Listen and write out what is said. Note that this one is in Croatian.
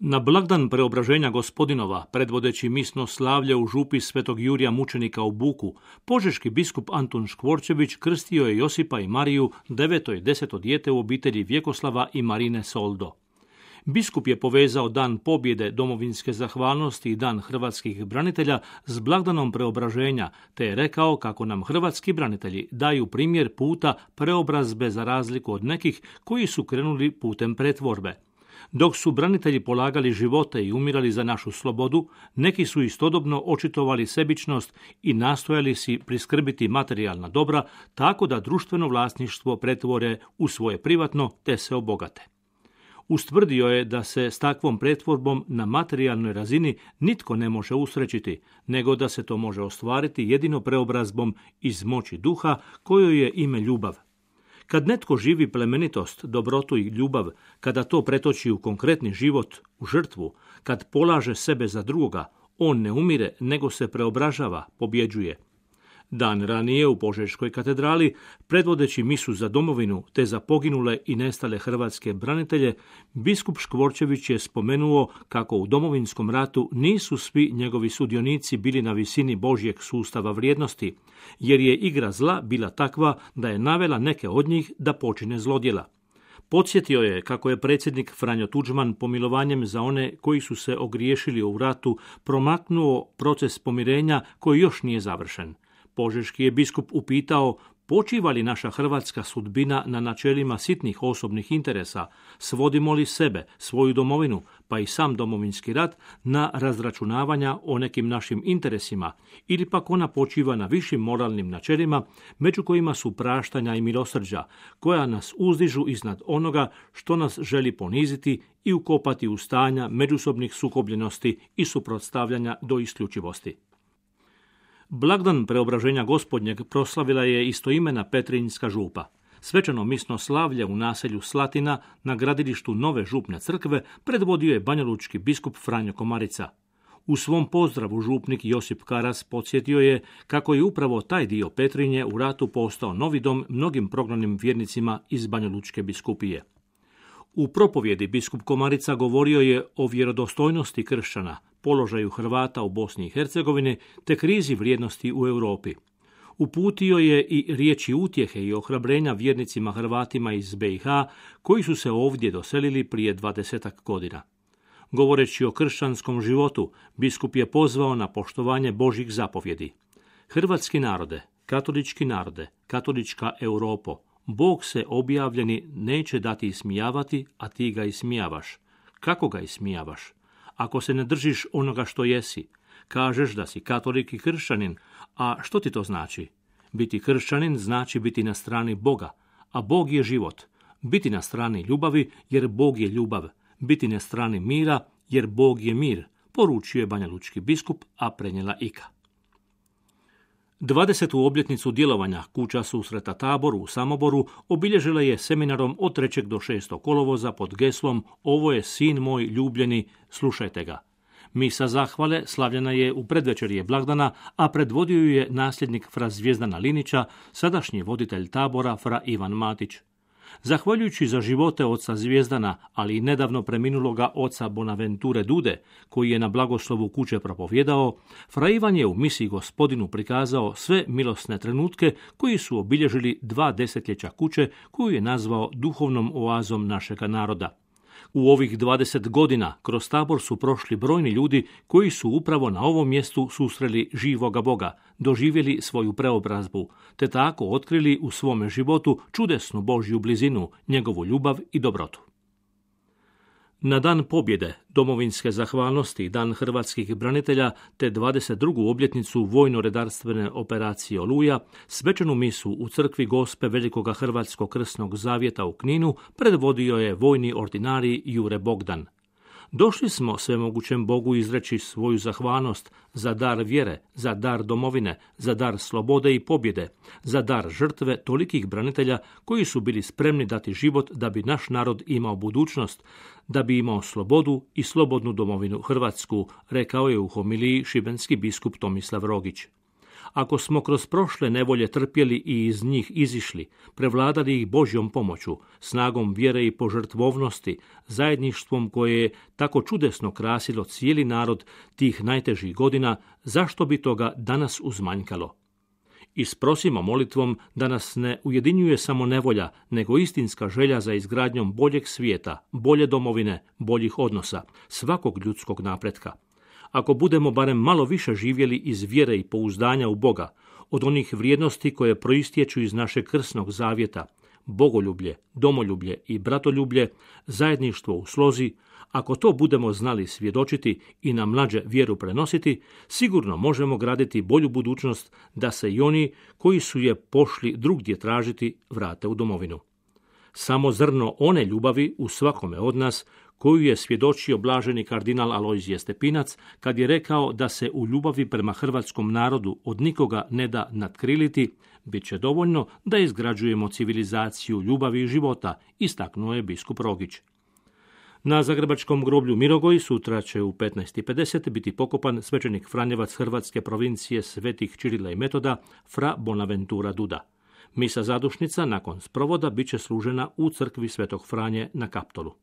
Na blagdan preobraženja Gospodinova, predvodeći misno slavlje u župi Svetog Jurija mučenika u Buku, požeški biskup Antun Škvorčević krstio je Josipa i Mariju, 9. i 10. dijete u obitelji Vjekoslava i Marine Soldo. Biskup je povezao dan pobjede domovinske zahvalnosti i dan hrvatskih branitelja s blagdanom preobraženja, te je rekao kako nam hrvatski branitelji daju primjer puta preobrazbe za razliku od nekih koji su krenuli putem pretvorbe. Dok su branitelji polagali živote i umirali za našu slobodu, neki su istodobno očitovali sebičnost i nastojali si priskrbiti materijalna dobra tako da društveno vlasništvo pretvore u svoje privatno te se obogate. Ustvrdio je da se s takvom pretvorbom na materijalnoj razini nitko ne može usrećiti, nego da se to može ostvariti jedino preobrazbom iz moći duha kojoj je ime ljubav. Kad netko živi plemenitost, dobrotu i ljubav, kada to pretoči u konkretni život, u žrtvu, kad polaže sebe za drugoga, on ne umire, nego se preobražava, pobjeđuje. Dan ranije u Požeškoj katedrali, predvodeći misu za domovinu te za poginule i nestale hrvatske branitelje, biskup Škvorčević je spomenuo kako u Domovinskom ratu nisu svi njegovi sudionici bili na visini Božjeg sustava vrijednosti, jer je igra zla bila takva da je navela neke od njih da počine zlodjela. Podsjetio je kako je predsjednik Franjo Tuđman pomilovanjem za one koji su se ogriješili u ratu promaknuo proces pomirenja koji još nije završen. Požeški je biskup upitao počiva li naša hrvatska sudbina na načelima sitnih osobnih interesa, svodimo li sebe, svoju domovinu, pa i sam Domovinski rat na razračunavanja o nekim našim interesima, ili pak ona počiva na višim moralnim načelima, među kojima su praštanja i milosrđa, koja nas uzdižu iznad onoga što nas želi poniziti i ukopati u stanja međusobnih sukobljenosti i suprotstavljanja do isključivosti. Blagdan preobraženja Gospodnjeg proslavila je istoimena Petrinjska župa. Svečano misno slavlje u naselju Slatina na gradilištu nove župne crkve predvodio je banjalučki biskup Franjo Komarica. U svom pozdravu župnik Josip Karas podsjetio je kako je upravo taj dio Petrinje u ratu postao novi dom mnogim prognanim vjernicima iz Banjalučke biskupije. U propovjedi biskup Komarica govorio je o vjerodostojnosti kršćana, položaju Hrvata u Bosni i Hercegovini te krizi vrijednosti u Europi. Uputio je i riječi utjehe i ohrabrenja vjernicima Hrvatima iz BiH koji su se ovdje doselili prije 20 godina. Govoreći o kršćanskom životu, biskup je pozvao na poštovanje Božjih zapovjedi. Hrvatski narode, katolička Europo, Bog se objavljeni neće dati ismijavati, a ti ga ismijavaš. Kako ga ismijavaš? Ako se ne držiš onoga što jesi, kažeš da si katolik i kršćanin, a što ti to znači? Biti kršćanin znači biti na strani Boga, a Bog je život. Biti na strani ljubavi, jer Bog je ljubav. Biti na strani mira, jer Bog je mir, poručio je banjalučki biskup, a prenijela Ika. 20. obljetnicu djelovanja Kuća susreta Tabor u Samoboru obilježila je seminarom od 3. do 6. kolovoza pod geslom Ovo je sin moj ljubljeni, slušajte ga. Misa zahvale slavljena je u predvečerje blagdana, a predvodio ju je nasljednik fra Zvijezdana Linića, sadašnji voditelj tabora fra Ivan Matić. Zahvaljujući za živote oca Zvijezdana, ali i nedavno preminuloga oca Bonaventure Dude, koji je na blagoslovu kuće propovjedao, fra Ivan je u misiji Gospodinu prikazao sve milosne trenutke koji su obilježili 2 desetljeća kuće koju je nazvao duhovnom oazom našega naroda. U ovih 20 godina kroz tabor su prošli brojni ljudi koji su upravo na ovom mjestu susreli živoga Boga, doživjeli svoju preobrazbu, te tako otkrili u svome životu čudesnu Božju blizinu, njegovu ljubav i dobrotu. Na dan pobjede, domovinske zahvalnosti i dan hrvatskih branitelja te 22. obljetnicu vojno-redarstvene operacije Oluja, svečanu misu u crkvi Gospe Velikoga Hrvatskog krsnog zavjeta u Kninu predvodio je vojni ordinarij Jure Bogdan. Došli smo svemogućem Bogu izreći svoju zahvalnost za dar vjere, za dar domovine, za dar slobode i pobjede, za dar žrtve tolikih branitelja koji su bili spremni dati život da bi naš narod imao budućnost, da bi imao slobodu i slobodnu domovinu Hrvatsku, rekao je u homiliji šibenski biskup Tomislav Rogić. Ako smo kroz prošle nevolje trpjeli i iz njih izišli, prevladali ih Božjom pomoću, snagom vjere i požrtvovnosti, zajedništvom koje je tako čudesno krasilo cijeli narod tih najtežih godina, zašto bi toga danas uzmanjkalo? Isprosimo molitvom da nas ne ujedinjuje samo nevolja, nego istinska želja za izgradnjom boljeg svijeta, bolje domovine, boljih odnosa, svakog ljudskog napretka. Ako budemo barem malo više živjeli iz vjere i pouzdanja u Boga, od onih vrijednosti koje proistječu iz našeg krsnog zavjeta, bogoljublje, domoljublje i bratoljublje, zajedništvo u slozi, ako to budemo znali svjedočiti i na mlađe vjeru prenositi, sigurno možemo graditi bolju budućnost da se i oni koji su je pošli drugdje tražiti vrate u domovinu. Samo zrno one ljubavi u svakome od nas, koju je svjedočio blaženi kardinal Alojzije Stepinac kad je rekao da se u ljubavi prema hrvatskom narodu od nikoga ne da natkriliti, bit će dovoljno da izgrađujemo civilizaciju ljubavi i života, istaknuo je biskup Rogić. Na zagrebačkom groblju Mirogoj sutra će u 15:50 biti pokopan svećenik Franjevac hrvatske provincije Svetih Čirila i Metoda, fra Bonaventura Duda. Misa zadušnica nakon sprovoda bit će služena u crkvi Svetog Franje na Kaptolu.